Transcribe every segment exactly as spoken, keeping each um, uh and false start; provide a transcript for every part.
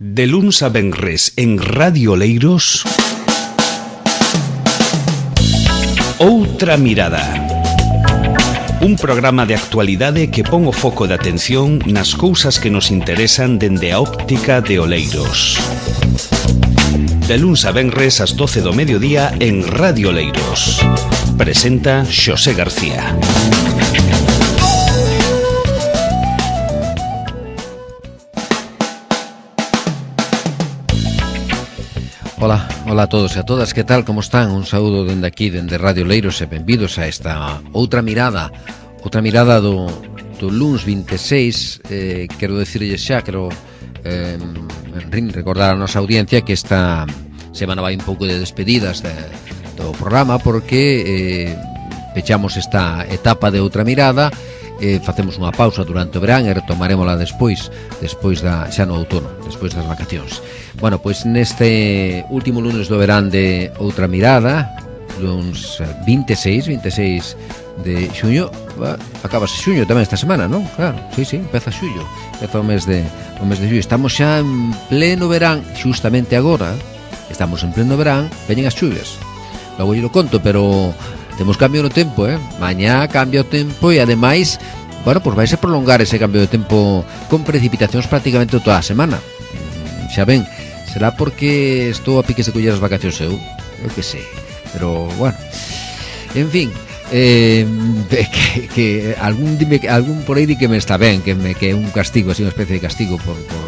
De luns a venres en Radio Oleiros, Outra Mirada. Un programa de actualidade que pon o foco de atención nas cousas que nos interesan dende a óptica de Oleiros. De luns a venres ás doce do mediodía en Radio Oleiros. Presenta Xosé García. Ola, ola a todos e a todas, que tal, como están? Un saúdo dende aquí, dende Radio Oleiros, e benvidos a esta outra mirada, outra mirada do, do luns vinte e seis. eh, Quero decirlle xa, quero eh, recordar a nosa audiencia que esta semana vai un pouco de despedidas de, do programa, porque eh, pechamos esta etapa de outra mirada. Eh, facemos unha pausa durante o verán e retomarémola despois, despois da, xa no outono, despois das vacacións. Bueno, pois neste último lunes do verán de Outra Mirada, luns vinte e seis de xuño, acabase xuño tamén esta semana, non? Claro, sí, sí, empeza xuño, empeza o mes de o mes de xuño. Estamos xa en pleno verán, xustamente agora, estamos en pleno verán, veñen as chuvias. Logo lle lo conto, pero temos cambio no tempo, eh? Mañá cambia o tempo e ademais, bueno, pois vais a prolongar ese cambio de tempo con precipitacións prácticamente toda a semana. Xa ben, será porque estou a piques de coller as vacacións eu, eu que sei, pero bueno, en fin, eh, que, que algún dime, algún por aí di que me está ben, que me que é un castigo, así unha especie de castigo por, por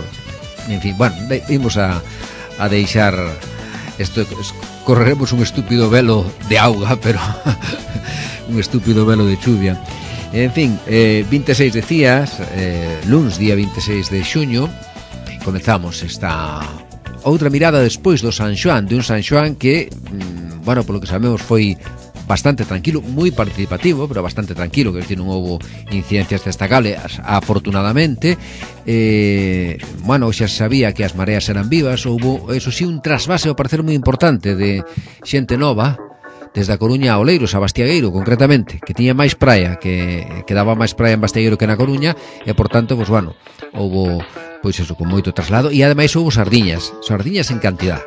en fin, bueno, vimos a, a deixar isto, correremos un estúpido velo de auga, pero un estúpido velo de chuvia. En fin, eh, vinte e seis decías, eh, luns día vinte e seis de xuño, comezamos esta outra mirada despois do San Xoán, de un San Xoán que, mm, bueno, polo que sabemos foi bastante tranquilo, moi participativo, pero bastante tranquilo, que decir, non houbo incidencias destacables, afortunadamente. Eh, bueno, xa sabía que as mareas eran vivas, houbo, eso sí, un trasvase ao parecer moi importante de xente nova, desde a Coruña a Oleiros, a Bastiagueiro, concretamente, que tiña máis praia, que, que daba máis praia en Bastiagueiro que na Coruña, e, por tanto, pues, bueno, houbo, pois eso, con moito traslado, e ademais houbo sardiñas, sardiñas en cantidad.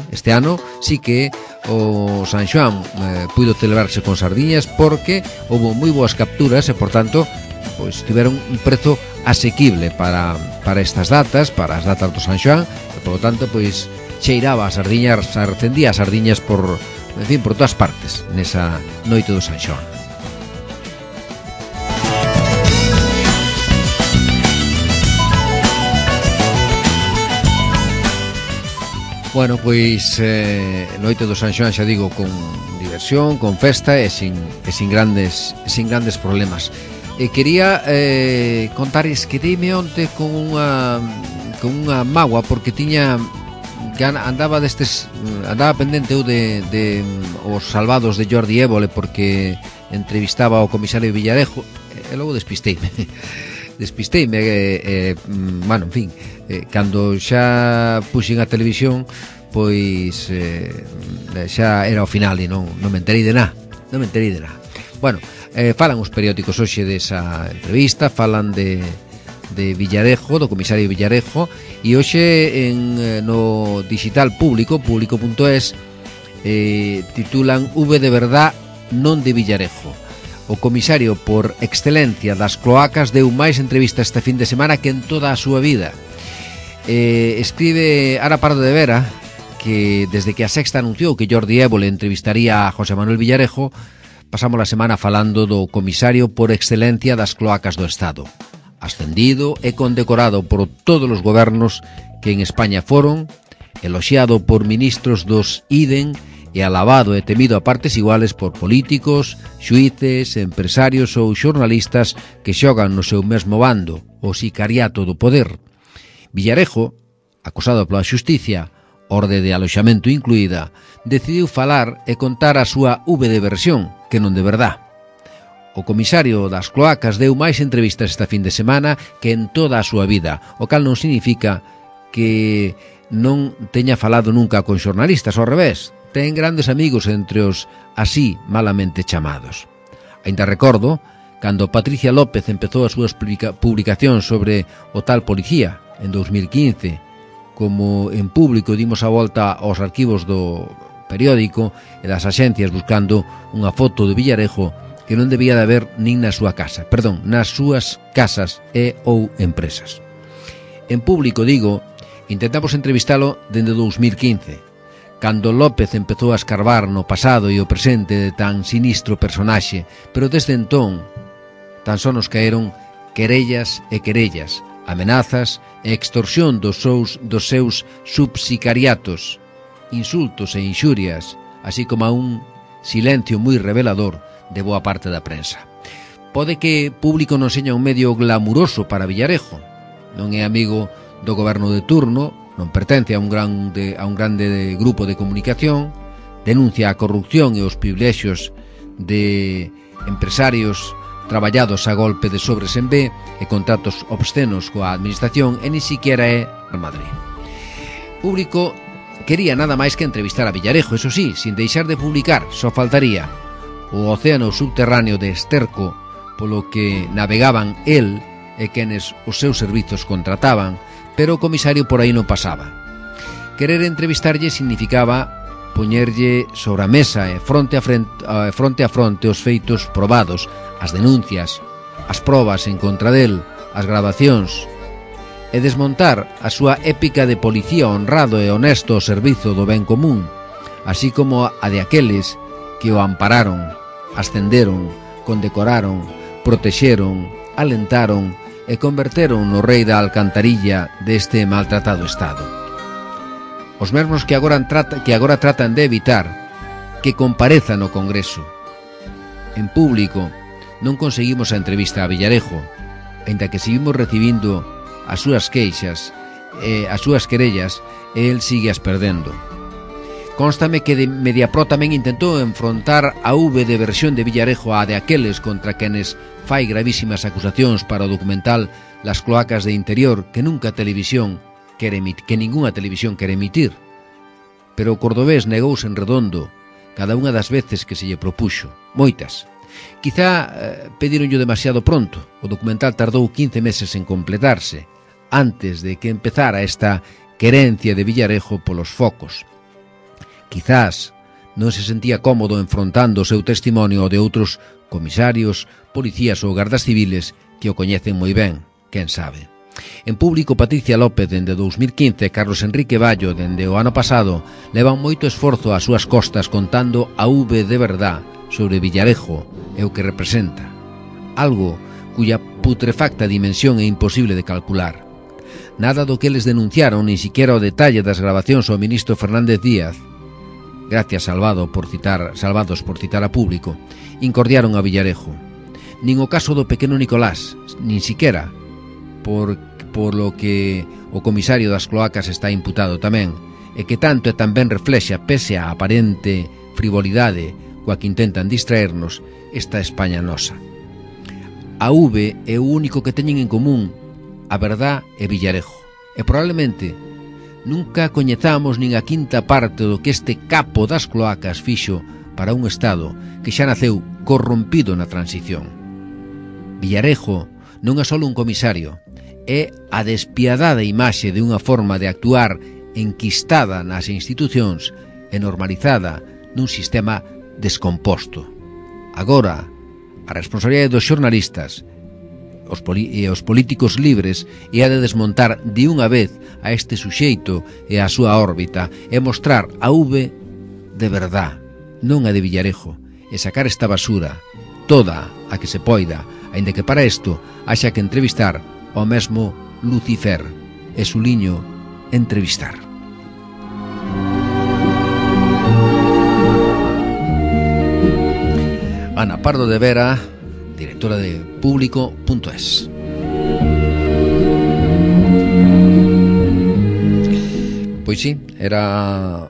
Este ano sí que o San Xoán eh, puido celebrarse con sardiñas porque houbo moi boas capturas e, por tanto, pois tiveron un prezo asequible para, para estas datas, para as datas do San Xoán, e, por lo tanto, pois cheiraba a sardiñas, recendía as sardiñas por, en fin, por todas partes nesa noite do San Xoán. Bueno, pois eh, noite do San Xoán, xa digo, con diversión, con festa e sin, e sin grandes sin grandes problemas. E quería eh, contares que deime onte con unha con unha mágoa, porque tiña que andaba destes andaba pendente eu de, de os salvados de Jordi Évole, porque entrevistaba ao comisario Villarejo e logo despisteime. Despisteime, eh, eh, bueno, en fin, eh, cando xa puxen a televisión, pois eh, xa era o final e non, non me enterei de nada, non me enterei de nada. Bueno, eh, falan os periódicos hoxe desa entrevista, falan de, de Villarejo, do comisario Villarejo, e hoxe en, no digital público, público punto es, eh, titulan V de verdad, non de Villarejo. O comisario por excelencia das cloacas deu máis entrevistas este fin de semana que en toda a súa vida. Eh, escribe Ara Pardo de Vera que desde que a Sexta anunciou que Jordi Évole entrevistaría a José Manuel Villarejo, pasamos a semana falando do comisario por excelencia das cloacas do Estado, ascendido e condecorado por todos os gobernos que en España foron, eloxiado por ministros dos I D E N e alabado e temido a partes iguales por políticos, xuíces, empresarios ou xornalistas que xogan no seu mesmo bando, o sicariato do poder. Villarejo, acusado pola xusticia, orde de aloxamento incluída, decidiu falar e contar a súa V de versión, que non de verdad. O comisario das cloacas deu máis entrevistas esta fin de semana que en toda a súa vida, o cal non significa que non teña falado nunca con xornalistas, ao revés. Ten grandes amigos entre os así malamente chamados. Ainda recordo cando Patricia López empezou as súas publicacións sobre o tal policía en dous mil quince, como en Público dimos a volta aos arquivos do periódico e das axencias buscando unha foto de Villarejo que non debía de haber nin na súa casa, perdón, nas súas casas e ou empresas. En Público, digo, intentamos entrevistalo dende dous mil quince, cando López empezou a escarbar no pasado e o presente de tan sinistro personaxe, pero desde entón tan só nos caeron querellas e querellas, amenazas e extorsión dos seus, dos seus subsicariatos, insultos e inxurias, así como a un silencio moi revelador de boa parte da prensa. Pode que Público non seña un medio glamuroso para Villarejo, non é amigo do goberno de turno, non pertence a un grande, a un grande grupo de comunicación, denuncia a corrupción e os privilexios de empresarios traballados a golpe de sobres en B e contratos obscenos coa administración e ni siquiera é Real Madrid. Público quería nada máis que entrevistar a Villarejo, eso sí, sin deixar de publicar, só faltaría o océano subterráneo de esterco polo que navegaban el e quenes os seus servizos contrataban, pero o comisario por aí non pasaba. Querer entrevistarlle significaba poñerlle sobre a mesa e fronte a fronte, fronte a fronte os feitos probados, as denuncias, as probas en contra del, as gravacións, e desmontar a súa épica de policía honrado e honesto ao servizo do ben común, así como a de aqueles que o ampararon, ascenderon, condecoraron, protexeron, alentaron e converteron no rei da alcantarilla deste maltratado Estado. Os mesmos que agora, trata, que agora tratan de evitar que compareza no Congreso. En Público non conseguimos a entrevista a Villarejo, ainda que seguimos recibindo as súas queixas e as súas querellas e el sigue as perdendo. Constame que de Mediapro tamén intentou enfrontar a V de versión de Villarejo a de aqueles contra quenes fai gravísimas acusacións para o documental Las cloacas de interior que nunca a televisión quere emitir, que ningunha televisión quere emitir. Pero o cordobés negouse en redondo cada unha das veces que se lle propuxo, moitas. Quizá eh, pedironllo demasiado pronto. O documental tardou quince meses en completarse, antes de que empezara esta querencia de Villarejo polos focos. Quizás non se sentía cómodo enfrontando o seu testimonio ao de outros comisarios, policías ou gardas civiles que o coñecen moi ben, quen sabe. En Público, Patricia López dende dous mil quince e Carlos Enrique Ballo dende o ano pasado levan moito esforzo ás súas costas contando a V de verdad sobre Villarejo e o que representa, algo cuya putrefacta dimensión é imposible de calcular. Nada do que eles denunciaron, ni siquiera o detalle das grabacións ao ministro Fernández Díaz, gracias Salvado por citar, Salvados por citar a Público, incordiaron a Villarejo. Nin o caso do pequeno Nicolás, nin siquiera por, por lo que o comisario das cloacas está imputado tamén, e que tanto e tamén reflexa, pese a aparente frivolidade coa que intentan distraernos, esta España nosa. A V é o único que teñen en común a verdad e Villarejo, e probablemente nunca coñezamos nin a quinta parte do que este capo das cloacas fixo para un Estado que xa naceu corrompido na transición. Villarejo non é só un comisario, é a despiadada imaxe de unha forma de actuar enquistada nas institucións e normalizada nun sistema descomposto. Agora, a responsabilidade dos xornalistas os e os políticos libres é a de desmontar de unha vez a este suxeito e a súa órbita e mostrar a V de verdad, non a de Villarejo, e sacar esta basura, toda a que se poida, aínda que para isto haxa que entrevistar ao mesmo Lucifer e suliño entrevistar. Ana Pardo de Vera, directora de Público punto es. Pois sí, era,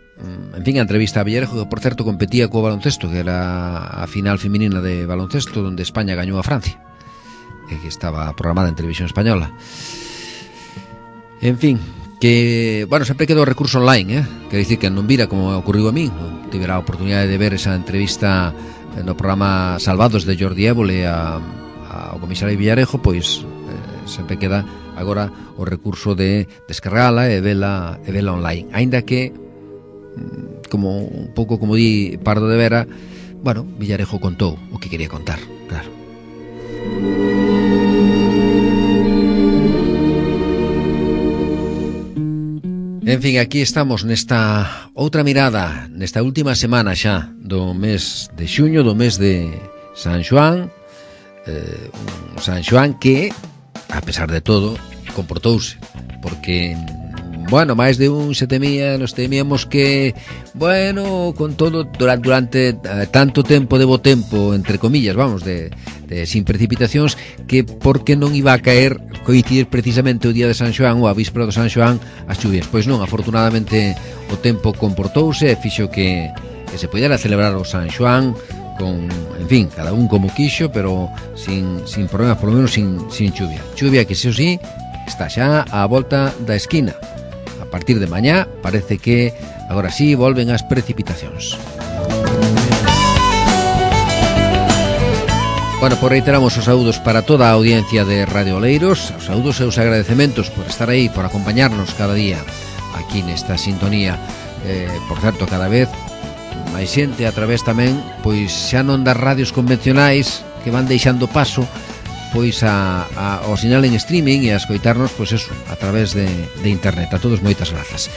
en fin, a entrevista a Villarejo, que por certo competía co baloncesto, que era a final feminina de baloncesto onde España gañou a Francia, e que estaba programada en Televisión Española. En fin, que, bueno, sempre quedou recurso online, eh? Quer dicir que non vira como ocurriu a mí, non tivera a oportunidade de ver esa entrevista no programa Salvados de Jordi Évole a, ao comisario Villarejo, pois eh, sempre queda agora o recurso de descargala e vela, e vela online, aínda que como un pouco como di Pardo de Vera, bueno, Villarejo contou o que quería contar, claro. En fin, aquí estamos nesta outra mirada, nesta última semana xa do mes de xuño, do mes de San Xoán, eh, un San Xoán que, a pesar de todo, comportouse, porque, bueno, máis de un se temía, nos temíamos que, bueno, con todo, durante, durante eh, tanto tempo de bo tempo, entre comillas, vamos, de, de sin precipitacións, que porque non iba a caer, coincidir precisamente o día de San Xoán ou a víspera do San Xoán as chuvias. Pois non, afortunadamente o tempo comportouse e fixo que, que se pudera celebrar o San Xoán con, en fin, cada un como quixo, pero sin, sin problemas, por lo menos sin, sin chuvia. Chuvia que, se o sí, está xa á volta da esquina. A partir de mañá parece que agora sí volven as precipitacións. Bueno, pues reiteramos os saúdos para toda a audiencia de Radio Oleiros, os saúdos e os agradecementos por estar aí, por acompañarnos cada día aquí nesta sintonía. Eh, por certo, cada vez máis xente a través tamén, pois xa non das radios convencionais que van deixando paso pois a, a, ao sinal en streaming e a escoitarnos, pois eso, a través de, de internet. A todos moitas grazas.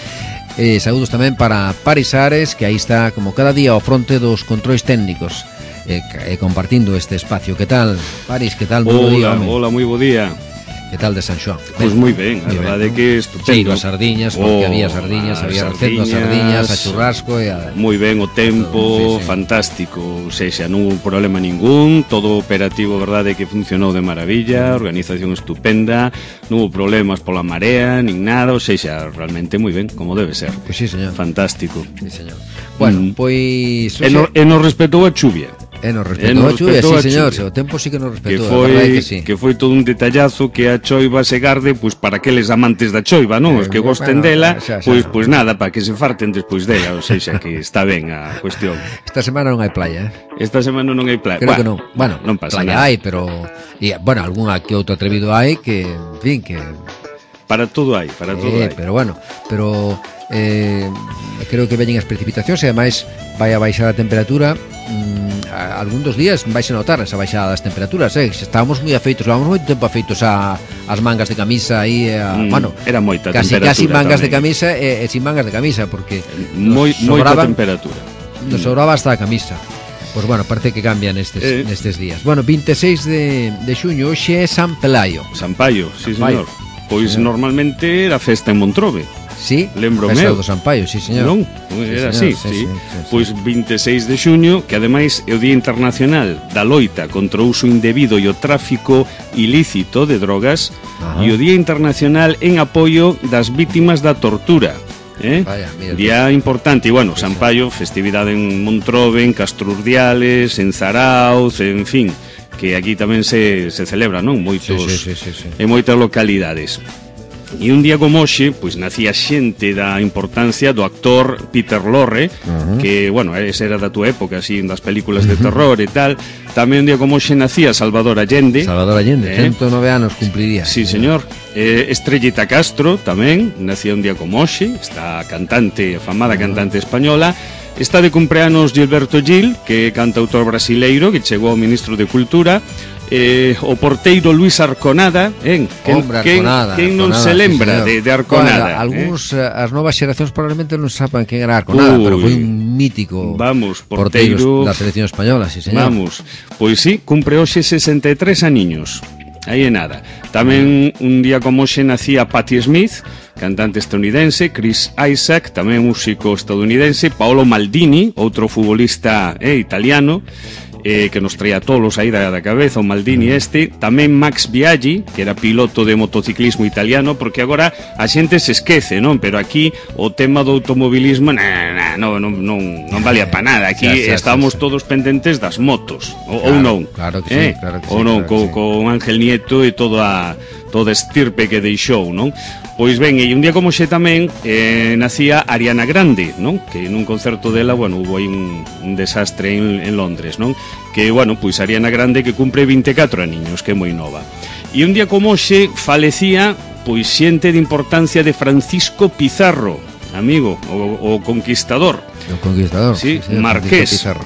Eh, saúdos tamén para Paris Ares, que aí está como cada día ao fronte dos controis técnicos, eh, eh, compartindo este espacio. Que tal, Paris? Que tal? Hola, día, hola, moi bo día. Que tal de San Xoán? Pois pues moi ben, a verdade é que estupendo. Cheiro a sardiñas, porque oh, había sardiñas, había recendo a sardiñas, a churrasco e a... Moi ben o tempo, sí, sí. Fantástico, ou seja, non hubo problema ningún, todo operativo, verdade, que funcionou de maravilla, organización estupenda, non hubo problemas pola marea, nin nada, ou seja, realmente moi ben, como debe ser. Pois sí, señor. Fantástico. Sí, señor. Bueno, mm. pois... E nos no respectou a chuvia. E nos respetou a chuvia, sí, señor, o tempo sí que nos respetou, que foi, a que, sí. que foi todo un detallazo que a choiva se garde, pois para aqueles amantes da choiva, non? Os que gosten bueno, dela, xa, xa, pois pois nada, para que se farten despois dela, ou seja, que está ben a cuestión. Esta semana non hai playa, eh? Esta semana non hai playa. Creo bueno, que non. Bueno, non pasa playa nada. hai, pero e, bueno, algunha que outro atrevido hai que, en fin, que para todo hai, para todo eh, hai. Pero bueno, pero eh, creo que veñen as precipitacións e ademais vai a baixar a temperatura. Mm, algún dos días vais a notar esa baixada das temperaturas, eh? Estábamos moi afeitos, levamos moito tempo afeitos a, as mangas de camisa aí, a, mm, bueno, era moita casi, temperatura casi mangas tamén. de camisa e, e sin mangas de camisa, porque moi, moita temperatura nos sobraba hasta a camisa. Pois pues bueno, parece que cambian nestes, eh. nestes días. Bueno, vinte e seis de, de xuño, hoxe é San Pelaio. San Paio, sí, señor. Pois sí, normalmente era festa en Montrobe. Sí, lembro festa meu do San Paio, sí, señor. Non, era así, sí, sí, sí, sí. Pois vinte e seis de xuño, que ademais é o Día Internacional da Loita contra o uso indebido e o tráfico ilícito de drogas. Ajá. E o Día Internacional en apoio das vítimas da tortura. Eh? Vaya, mira, día mira. Importante, e bueno, sí, San Paio, festividade en Montrobe, en Castrurdiales, en Zarauz, en fin, que aquí tamén se, se celebra, non? Moitos, sí, sí, sí, sí, sí. En moitas localidades. E un día como hoxe, pois nacía xente da importancia do actor Peter Lorre, uh-huh. que, bueno, ese era da tua época, así, das películas de terror e tal. Tamén un día como hoxe nacía Salvador Allende. Salvador Allende, eh? cento nove anos cumpliría. Sí, señor. Eh, Estrellita Castro tamén, nacía un día como hoxe, esta cantante, afamada uh-huh. cantante española. Está de cumpleanos Gilberto Gil, que é cantautor brasileiro, que chegou ao ministro de Cultura. Eh, o porteiro Luis Arconada, eh? Quen, Hombre, Arconada, quen non Arconada, se lembra sí, de, de Arconada? Bueno, algúns, eh? as novas xeracións probablemente non saben quen era Arconada, Uy, pero foi un mítico vamos, porteiro da selección española, sí, señor. Vamos, pois sí, cumpre hoxe sesenta e tres aniños. Aí é nada. Tamén un día como hoxe nacía Patti Smith, cantante estadounidense, Chris Isaac, tamén músico estadounidense, Paolo Maldini, outro futbolista eh, italiano, eh, que nos traía tolos aí da, da cabeza, o Maldini este. Tamén Max Biaggi, que era piloto de motociclismo italiano, porque agora a xente se esquece, non? Pero aquí o tema do automobilismo nah, nah, non, non, non, non valía para nada. Aquí xa, xa, estamos xa, xa. todos pendentes das motos, o, claro, ou non? Claro que eh? sí, claro que ou sí, non, claro co, que sí. con Ángel Nieto e toda a toda estirpe que deixou, non? Pois ben, e un día como xe tamén eh, nacía Ariana Grande, non? Que nun concerto dela, bueno, hubo aí un, un desastre en, en Londres, non? Que, bueno, pois Ariana Grande que cumpre vinte e catro aniños, que é moi nova. E un día como xe falecía pois xente de importancia de Francisco Pizarro, amigo, o, o conquistador. O conquistador, sí, sí, Marqués. Pizarro.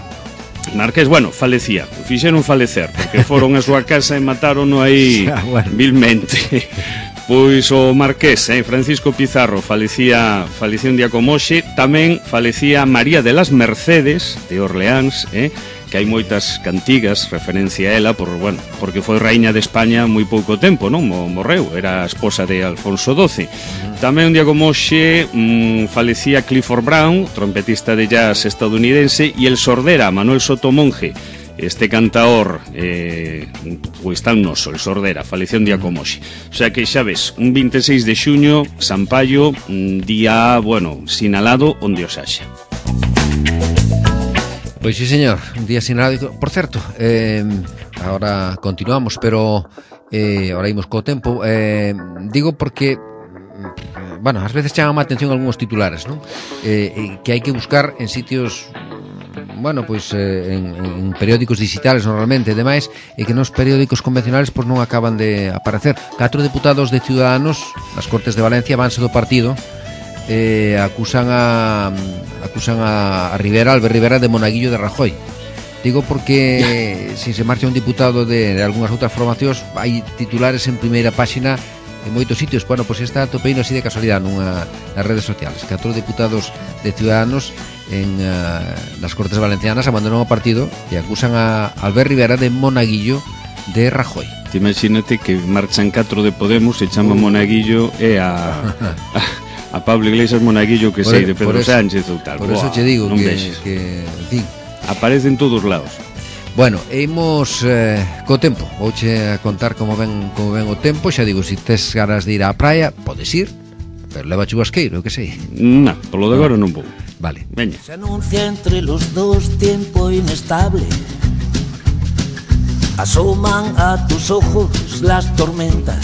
Marqués, bueno, falecía, fixeron falecer, porque foron a súa casa e mataron-no aí ah, bueno. vilmente. Pois o Marqués, eh, Francisco Pizarro, falecía, falecía un día como hoxe. Tamén falecía María de las Mercedes, de Orleáns, eh, que hai moitas cantigas referencia a ela, por, bueno, porque foi raíña de España moi pouco tempo, non? Morreu, era a esposa de Alfonso doce. Tamén un día como hoxe mmm, falecía Clifford Brown, trompetista de jazz estadounidense, e el sordera Manuel Sotomonge, este cantaor eh, pois tan noso, el sordera, faleceu un día como hoxe. O sea que xa ves, un veintiséis de xuño, Sampaio, un día, bueno, sinalado onde os haxa. Pois sí, señor, un día sinalado. Por certo, eh, ahora continuamos, pero eh, ahora imos co tempo. Eh, digo porque, bueno, ás veces chaman a atención algúns titulares, non? Eh, que hai que buscar en sitios, bueno, pois eh, en, en periódicos digitales normalmente e demais, e que nos periódicos convencionales pois non acaban de aparecer. Catro deputados de Ciudadanos nas Cortes de Valencia vanse do partido, eh, acusan a acusan a, a Rivera, Albert Rivera, de monaguillo de Rajoy. Digo porque se se marcha un diputado de, de algunhas outras formacións, hai titulares en primeira páxina en moitos sitios. Bueno, pois esta topeino así de casualidade nunha, nas redes sociales. Catro deputados de Ciudadanos en uh, nas Cortes Valencianas abandonan o partido e acusan a Albert Rivera de monaguillo de Rajoy. Te imagínate que marchan catro de Podemos e chama uh. monaguillo e a, a, a Pablo Iglesias monaguillo que sei de Pedro eso, Sánchez ou tal. Por eso te digo que, que, en fin, aparece en todos lados. Bueno, imos eh, co tempo. Vouche a contar como ven como ven o tempo. Xa digo, se si tes ganas de ir á praia, podes ir, pero leva chubasqueiro, que sei. Non, polo de agora non vou. Vale. Veña. Se anuncia entre los dos tiempo inestable. Asoman a tus ojos las tormentas.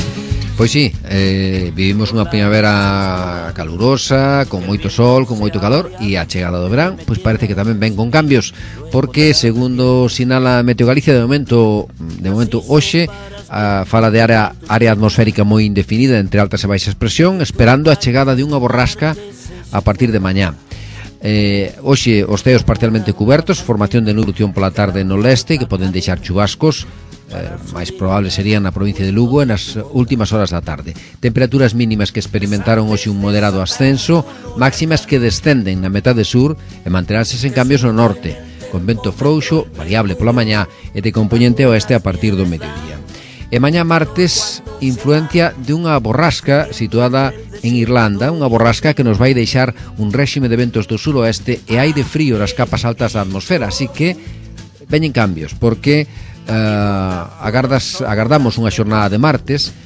Pois sí, eh, vivimos unha primavera calurosa, con moito sol, con moito calor, e a chegada do verán, pois parece que tamén ven con cambios, porque segundo sinala Meteo Galicia, de momento, de momento hoxe, a, fala de área, área atmosférica moi indefinida entre altas e baixas presión, esperando a chegada de unha borrasca a partir de mañá. Eh, hoxe os ceos parcialmente cubertos, formación de nublación pola tarde no leste, que poden deixar chubascos. Eh, máis probable serían na provincia de Lugo e nas últimas horas da tarde. Temperaturas mínimas que experimentaron hoxe un moderado ascenso, máximas que descenden na metade sur e manteránse sen cambios no norte, con vento frouxo, variable pola mañá e de componente oeste a partir do mediodía. E mañá martes, influencia de unha borrasca situada en Irlanda, unha borrasca que nos vai deixar un réxime de ventos do suroeste e aire frío nas capas altas da atmosfera, así que veñen cambios, porque Uh, agardas, agardamos unha xornada de martes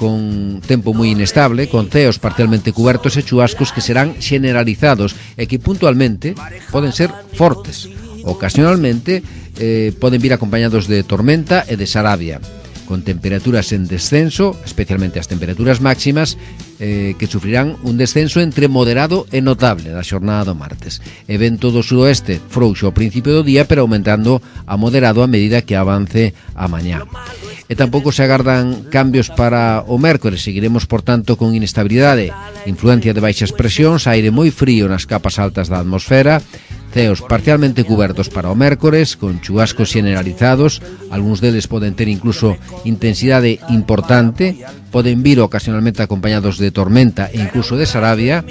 con tempo moi inestable, con ceos parcialmente cubertos e chubascos que serán generalizados e que puntualmente poden ser fortes. Ocasionalmente eh, poden vir acompañados de tormenta e de sarabia, con temperaturas en descenso, especialmente as temperaturas máximas, eh, que sufrirán un descenso entre moderado e notable na xornada do martes. E vento do suroeste frouxo ao principio do día, pero aumentando a moderado a medida que avance a mañá. E tampouco se agardan cambios para o mércores. Seguiremos, por tanto, con inestabilidade, influencia de baixas presións, aire moi frío nas capas altas da atmosfera, ceos parcialmente cubertos para o mércores, con chubascos generalizados, algúns deles poden ter incluso intensidade importante, poden vir ocasionalmente acompañados de tormenta e incluso de sarabia,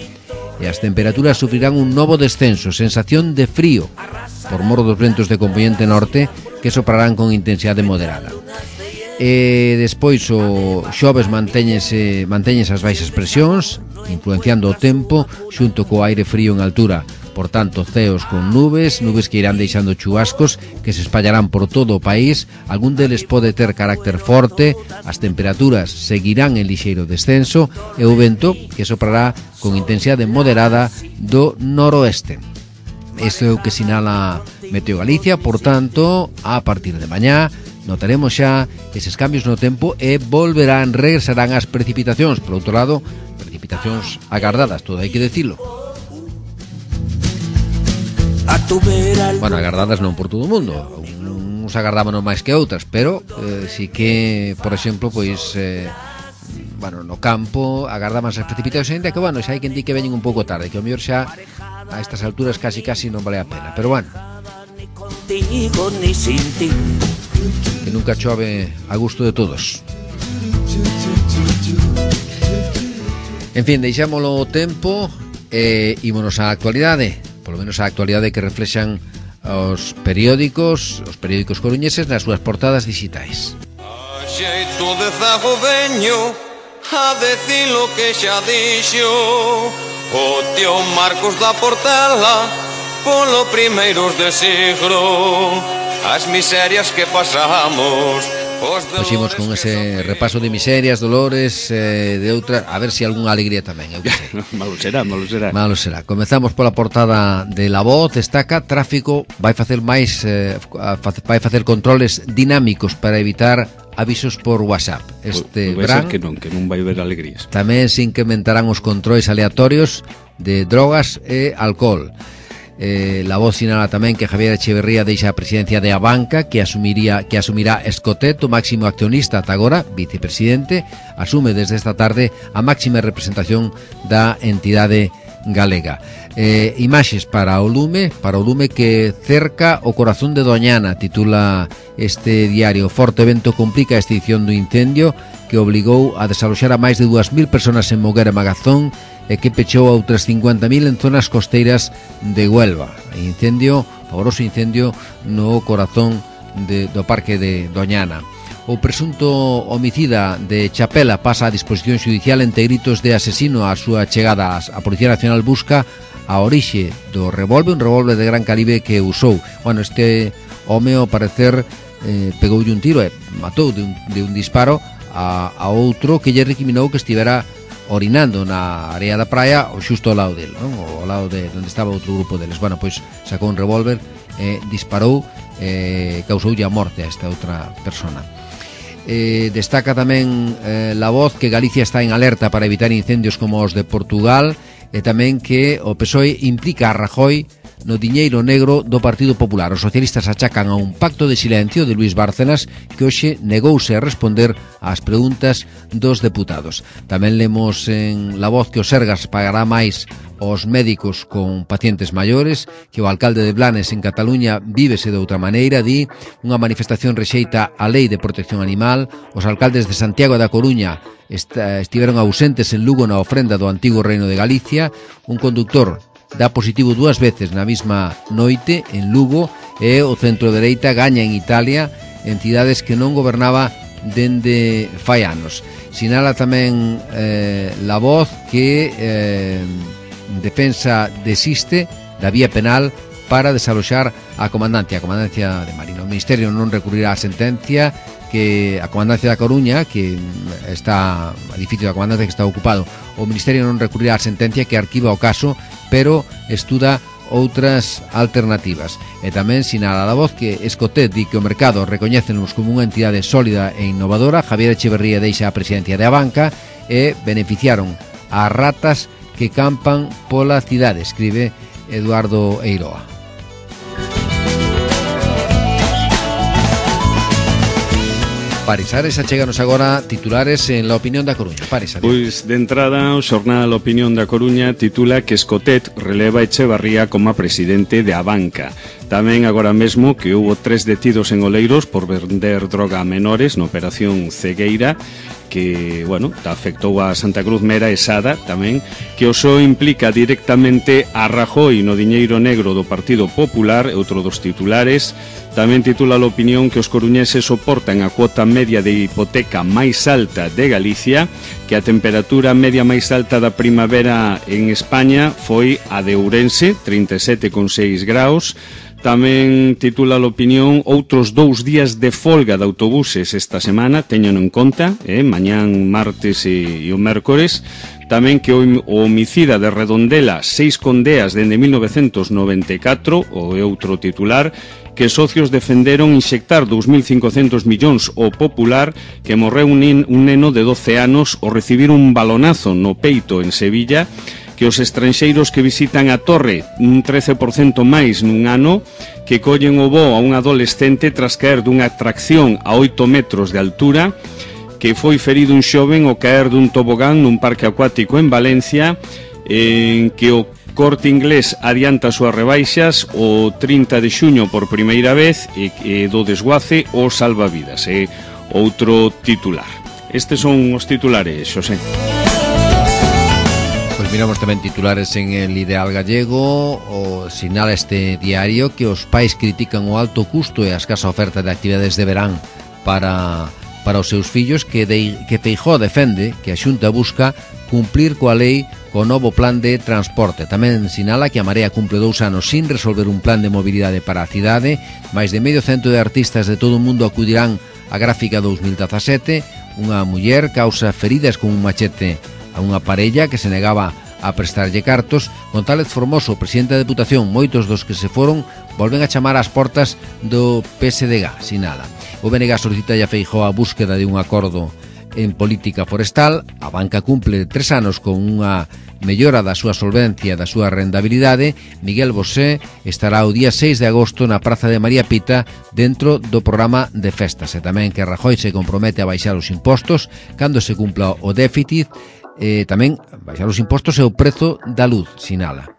e as temperaturas sufrirán un novo descenso, sensación de frío, por mor dos ventos de componente norte que soprarán con intensidade moderada. E despois o xoves mantéñese, mantéñese as baixas presións, influenciando o tempo xunto co aire frío en altura. Por tanto, ceos con nubes, nubes que irán deixando chubascos que se espallarán por todo o país. Algún deles pode ter carácter forte, as temperaturas seguirán en lixeiro descenso e o vento que soprará con intensidade moderada do noroeste. Isto é o que sinala Meteo Galicia. Por tanto, a partir de mañá notaremos xa eses cambios no tempo e volverán, regresarán as precipitacións. Por outro lado, precipitacións agardadas, todo hai que decilo. Bueno, agardadas non por todo o mundo, uns agardámonos máis que outras, pero eh, si que, por exemplo, pois eh, bueno, no campo agardaban as precipitacións, ainda que, bueno, xa hai quen di que veñen un pouco tarde, que o mellor xa a estas alturas casi casi non vale a pena, pero bueno, que nunca chove a gusto de todos. En fin, deixámolo o tempo e ímonos á actualidade, polo menos á actualidade que reflexan os periódicos, os periódicos coruñeses nas súas portadas digitais. A xeito de zago veño a decir lo que xa dixo o tío Marcos da Portela polo primeiros de siglo, as miserias que pasamos. Puximos con ese repaso de miserias, dolores, eh, de outras, a ver se si algunha alegría tamén, eu que sei. Malo será, malo será. Malo será. Comezamos pola portada de La Voz, destaca tráfico, vai facer máis eh, vai facer controles dinámicos para evitar avisos por WhatsApp. Este vai verán ser que non, que non vai haber alegrías. Tamén se incrementarán os controles aleatorios de drogas e alcohol. Eh, La Voz sinala tamén que Javier Echeverría deixa a presidencia de Abanca, que asumiría que asumirá Escotet, o máximo accionista ata agora, vicepresidente, asume desde esta tarde a máxima representación da entidade galega. Eh, imaxes para o lume, para o lume que cerca o corazón de Doñana, titula este diario. Forte vento complica a extinción do incendio que obligou a desaloxar a máis de dúas mil personas en Moguer e Magazón e que pechou a outras cincuenta mil en zonas costeiras de Huelva. Incendio, pavoroso incendio no corazón de, do parque de Doñana. O presunto homicida de Chapela pasa a disposición judicial entre gritos de asesino. A súa chegada a Policía Nacional busca a orixe do revólver, un revólver de gran calibre que usou. Bueno, este home, ao parecer, eh, pegoulle un tiro e matou de un, de un disparo a, a outro que lle recriminou que estivera orinando na área da praia ou xusto ao lado del, non? Ao lado de onde estaba outro grupo deles. Bueno, pois sacou un revólver e disparou e causoulle a morte a esta outra persona. Eh, destaca tamén eh, La Voz que Galicia está en alerta para evitar incendios como os de Portugal e tamén que o P S O E implica a Rajoy no diñeiro negro do Partido Popular. Os socialistas achacan a un pacto de silencio de Luís Bárcenas que hoxe negouse a responder ás preguntas dos deputados. Tamén lemos en La Voz que o Sergas pagará máis aos médicos con pacientes maiores, que o alcalde de Blanes en Cataluña vívese de outra maneira, di unha manifestación rexeita a lei de protección animal. Os alcaldes de Santiago e da Coruña estiveron ausentes en Lugo na ofrenda do antigo Reino de Galicia. Un conductor dá positivo dúas veces na mesma noite en Lugo e o centro dereita gaña en Italia, entidades que non gobernaba dende fai anos. Sinala tamén eh, La Voz que eh, Defensa desiste da vía penal para desaloxar a comandancia, a comandancia de Marino. O Ministerio non recurrirá á sentencia que a comandancia da Coruña, que está o edificio da comandancia que está ocupado, o Ministerio non recurrirá á sentencia que arquiva o caso, pero estuda outras alternativas. E tamén sinala La Voz que Escotet di que o mercado recoñécenos como unha entidade sólida e innovadora. Javier Echeverría deixa a presidencia de Abanca e beneficiaron a ratas que campan pola cidade, escribe Eduardo Eiroa. Paris Ares, achéganos agora titulares en La Opinión da Coruña. Paris Ares. Pois, de entrada, o xornal Opinión da Coruña titula que Escotet releva Echevarría como presidente de Abanca. Tamén agora mesmo que houbo tres detidos en Oleiros por vender droga a menores na operación Cegueira, que, bueno, afectou a Santa Cruz Mera e Sada tamén, que o P S O E implica directamente a Rajoy no diñeiro negro do Partido Popular, outro dos titulares. Tamén titula a Opinión que os coruñeses soportan a cuota media de hipoteca máis alta de Galicia, que a temperatura media máis alta da primavera en España foi a de Ourense, trinta e sete coma seis graus. Tamén titula a Opinión outros dous días de folga de autobuses esta semana, teñan en conta, eh, mañán, martes e, e o mércores. Tamén que o homicida de Redondela seis condeas dende mil novecentos noventa e catro, o outro titular, que socios defenderon inxectar dous mil cincocentos millóns ao Popular, que morreu un, un neno de doce anos ao recibir un balonazo no peito en Sevilla, que os estranxeiros que visitan a Torre un trece por cento máis nun ano, que collen o voo a un adolescente tras caer dunha atracción a oito metros de altura, que foi ferido un xoven ao caer dun tobogán nun parque acuático en Valencia, en que o Corte Inglés adianta as súas rebaixas o trinta de xuño por primeira vez e, e do desguace o salvavidas. É outro titular. Estes son os titulares, Xosé. Pois miramos tamén titulares en el Ideal Gallego. O sinala este diario que os pais critican o alto custo e a escasa oferta de actividades de verán para, para os seus fillos, que, de, que Feijóo defende que a Xunta busca cumplir coa lei co novo plan de transporte. Tamén sinala que a Marea cumple dous anos sin resolver un plan de mobilidade para a cidade. Mais de medio cento de artistas de todo o mundo acudirán á Gráfica dous mil dezasete. Unha muller causa feridas con un machete a unha parella que se negaba a prestarlle cartos. González Formoso, presidente da Deputación, moitos dos que se foron volven a chamar ás portas do P S D G, sinala. O B N G solicita a Feijóo a búsqueda de un acordo en política forestal. A banca cumple tres anos con unha mellora da súa solvencia, da súa rendabilidade. Miguel Bosé estará o día seis de agosto na Praza de María Pita dentro do programa de festas. E tamén que Rajoy se compromete a baixar os impostos cando se cumpla o déficit. E tamén baixar os impostos e o prezo da luz, sinala.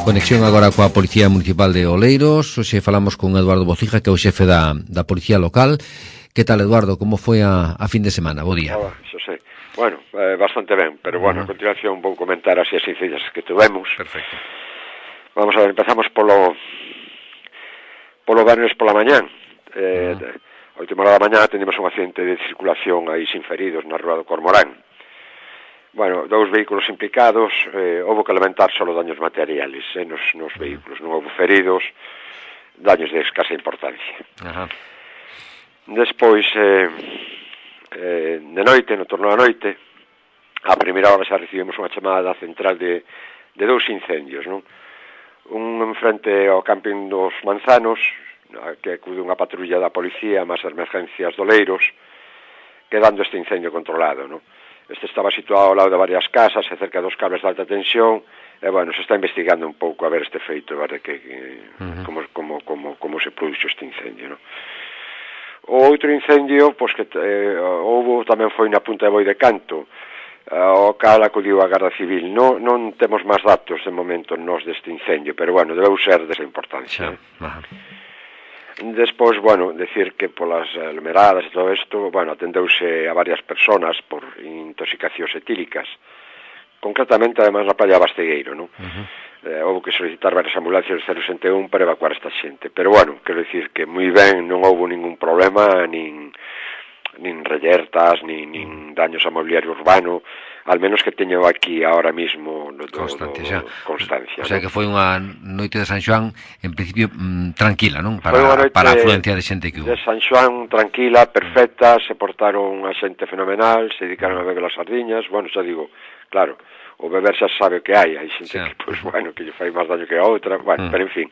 Conexión agora coa Policía Municipal de Oleiros. Hoxe falamos con Eduardo Bocija, que é o xefe da, da Policía Local. Que tal, Eduardo? Como foi a, a fin de semana? Bo día. Hola, Xosé. Bueno, eh, bastante ben, pero bueno, uh-huh. A continuación vou comentar así as incidencias que tuvemos. Perfecto. Vamos a ver, empezamos polo polo venres pola mañán. Eh, uh-huh. A última hora da mañá tendemos un accidente de circulación aí sin feridos na rúa do Cormorán. Bueno, dous vehículos implicados, eh, houve que lamentar solo daños materiales eh, nos, nos vehículos, non houve feridos, daños de escasa importancia. Ajá. Despois, eh, eh, de noite, no torno da noite, a primeira hora xa recibimos unha chamada da central de, de dous incendios, non? Un en frente ao camping dos Manzanos, que acude unha patrulla da policía, máis emergencias do Oleiros, quedando este incendio controlado, non? Este estaba situado ao lado de varias casas e cerca dos cables de alta tensión e, bueno, se está investigando un pouco a ver este feito, a ver que, que, uh-huh. como, como, como, como se produxo este incendio, non? O outro incendio, pois que eh, houve tamén foi na Punta de Boi de Canto, ao cal acudiu a Garda Civil. Non, non temos máis datos de momento nós deste incendio, pero, bueno, debeu ser desa importancia. Sí. Uh-huh. Despois, bueno, decir que polas aglomeradas e todo isto, bueno, atendeuse a varias personas por intoxicacións etílicas, concretamente, además, na playa Bastegueiro, non? Uh-huh. Eh, houve que solicitar varias ambulancias do cero sesenta e un para evacuar esta xente, pero, bueno, quero dicir que moi ben, non houve ningún problema, nin, nin reyertas, nin, nin daños a mobiliario urbano, al menos que teño aquí ahora mismo no, do, constancia, do, constancia. O sea, ¿no? Que foi unha noite de San Xoán en principio mmm, tranquila, non? Para, para a afluencia de xente que hubo. De San Xoán tranquila, perfecta, se portaron a xente fenomenal, se dedicaron a beber as sardiñas, bueno, xa digo, claro, o beber xa sabe o que hai, hai xente sí. que, pois, bueno, que lle fai máis daño que a outra, bueno, mm. pero en fin,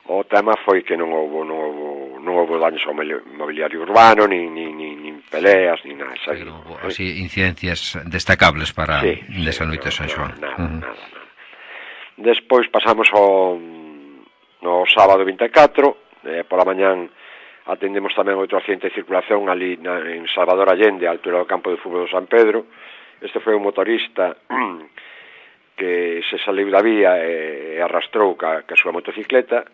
o tema foi que non houve, non houve, non houve daños ao mobiliario urbano, nin, nin, nin, nin peleas, nin nada, xa digo. Pero, así, incidencias destacables para sí, desa sí, noite de San Xoán. Nada, uh-huh. nada, nada. Despois pasamos ao no sábado vinte e catro, eh, pola mañán atendemos tamén outro accidente de circulación ali na, en Salvador Allende, a altura do campo de fútbol do San Pedro. Este foi un motorista que se saliu da vía e, e arrastrou ca, ca súa motocicleta,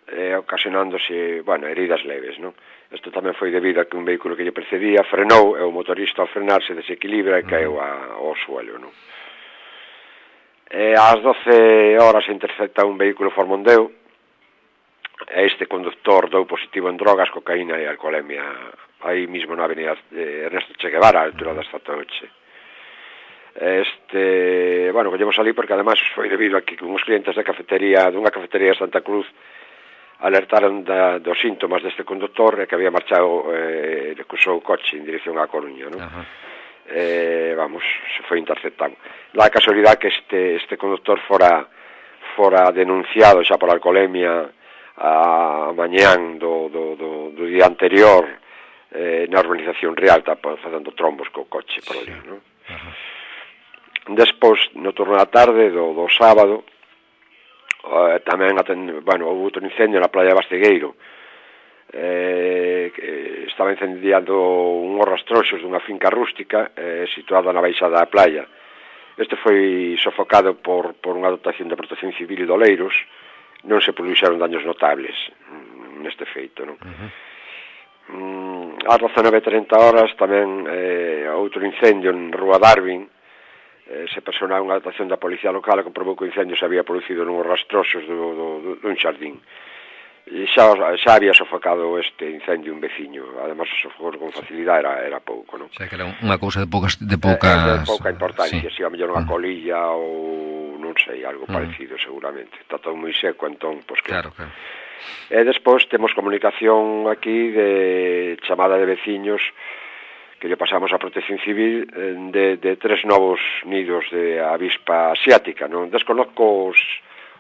eh, ocasionándose, bueno, heridas leves, non? Isto tamén foi debido a que un vehículo que lle precedía frenou e o motorista ao frenar se desequilibra e caeu a, ao suelo, non? E ás doce horas se intercepta un vehículo Ford Mondeo e este conductor dou positivo en drogas, cocaína e alcoholemia aí mismo na avenida Ernesto Che Guevara, a altura da Estatoche. Este, bueno, collemos ali porque además foi debido a que uns clientes da cafetería, dunha cafetería de Santa Cruz alertaron da, dos síntomas deste conductor e que había marchado, eh, recusou o coche en dirección á Coruña, non? Uh-huh. eh, vamos, se foi interceptado. La casualidade que este, este conductor fora, fora denunciado xa por alcoholemia a mañán do, do, do, do día anterior eh, na urbanización Rialta, facendo trombos co coche por ali, non? Despois, no turno da tarde do, do sábado, eh, tamén atend... bueno, houve outro incendio na playa de Bastegueiro, eh, que estaba incendiando unhos rastroxos dunha finca rústica eh, situada na baixada da playa. Este foi sofocado por, por unha dotación de protección civil de Oleiros. Non se produxeron daños notables neste feito, non? Uh-huh. Mm, ás dezanove e trinta horas tamén eh, outro incendio en Rúa Darwin, eh, se personou unha dotación da policía local e comprobou que o incendio se había producido nun rastroxos do, do, do, dun xardín. E xa, xa había sofocado este incendio un veciño, además o sofocou con facilidade, era, era pouco, non? O sea, que era unha cousa de poucas... De, poucas... Eh, de pouca importancia, sí. Si a mellor unha uh-huh. colilla ou non sei, algo uh-huh. parecido seguramente. Está todo moi seco, entón, pois que... Claro, claro. E despois temos comunicación aquí de chamada de veciños que lle pasamos a Protección Civil de, de tres novos nidos de avispa asiática, non? Desconozco os,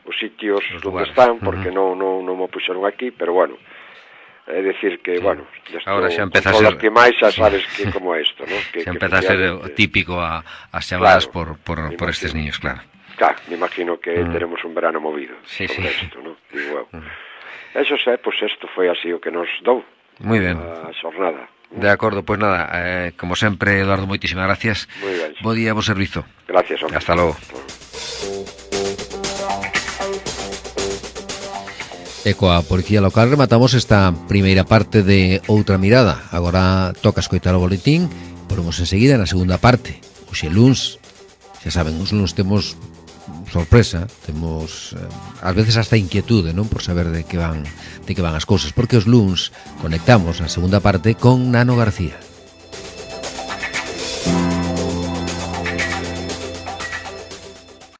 os sitios os onde están, porque uh-huh. non, non, non me puxeron aquí, pero bueno, é decir que, sí. bueno, esto, ahora xa empeza a ser... que máis xa sabes que como é isto, non? Que, xa que empeza a ser típico a, as chamadas claro, por, por, por estes niños, claro. Claro, me imagino que uh-huh. teremos un verano movido sí, sobre sí. isto, non? Digo eu. Uh-huh. Eso sé, pois pues isto foi así o que nos dou. Moi ben. A xornada. De acordo, pois pues nada, eh, como sempre, Eduardo, moitísimas gracias. Moi ben. Bo día, bo servizo. Gracias, hombre. Hasta logo. E coa Policía Local rematamos esta primeira parte de Outra Mirada. Agora toca escoitar o boletín, volvemos enseguida na segunda parte. Oxe luns, xa saben, os luns temos sorpresa, temos eh, ás veces hasta inquietude, non, por saber de que van de que van as cousas, porque os luns conectamos a segunda parte con Nano García.